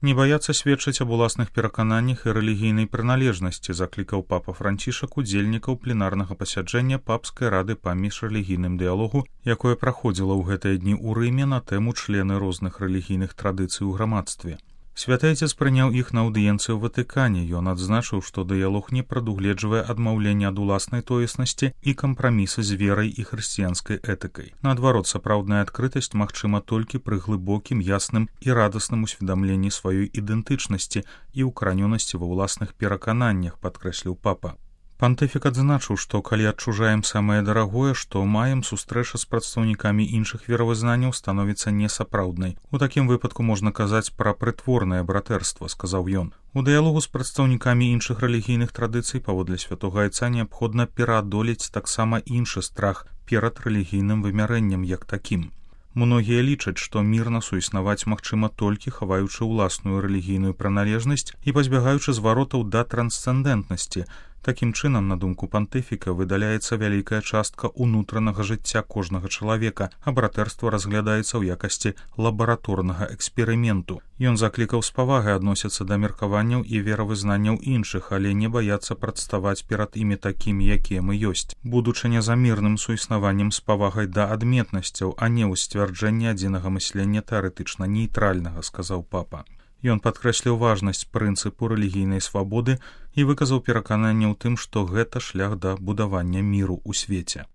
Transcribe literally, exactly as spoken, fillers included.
Не баяцца сведчыць аб уласных перакананнях і рэлігійнай прыналежнасці, заклікаў папа Францішак удзельнікаў пленарнага пасяджэння папскай рады па міжрэлігійным дыялогу, якое праходзіла ў гэтыя дні ў Рыме на тэму члены розных рэлігійных традыцый у грамадстве. Святы Айцец прыняў іх на аўдыенцыі ў Ватыкане. Ён адзначыў, што дыялог не прадугледжвае адмаўленне ад уласнай тоеснасці і кампрамісы з верай і хрысціянскай этыкай. Наадварот, сапраўдная адкрытасць магчыма толькі пры глыбокім, ясным і радасным усведамленні сваёй ідэнтычнасці і ўкаранёнасці ва ўласных перакананнях, падкрэсліў папа. Пантыфік адзначыў, што калі адчужаем самае дарагое, што маем, сустрэча з прадстаўнікамі іншых веравызнанняў становіцца несапраўднай. У такім выпадку можна казаць пра прытворнае братэрства, сказаў ён. У дыялогу з прадстаўнікамі іншых рэлігійных традыцый паводле святога Айца неабходна пераадолець таксама іншы страх перад рэлігійным вымярэннем як такім. Многія лічаць, што мірна суіснаваць магчыма толькі хаваючы ўласную рэлігійную прыналежнасць і пазбягаючы зваротаў да трансцэндэнтнасці. Такім чынам, на думку пантыфіка, выдаляецца вялікая частка ўнутранага жыцця кожнага чалавека, а братэрства разглядаецца ў якасці лабараторнага эксперыменту. Ён заклікаў з павагай адносіцца да меркаванняў і веравызнанняў іншых, але не баяцца прадставаць перад імі такімі, якія мы ёсць, будучы незамірным суіснаваннем з павагай да адметнасцяў, а не ў сцвярджэнні адзінага мыслення тэарэтычна нейтральнага, сказаў папа. Ён падкрэсліў важнасць прынцыпу рэлігійнай свабоды і выказаў перакананне ў тым, што гэта шлях да будавання міру ў свеце.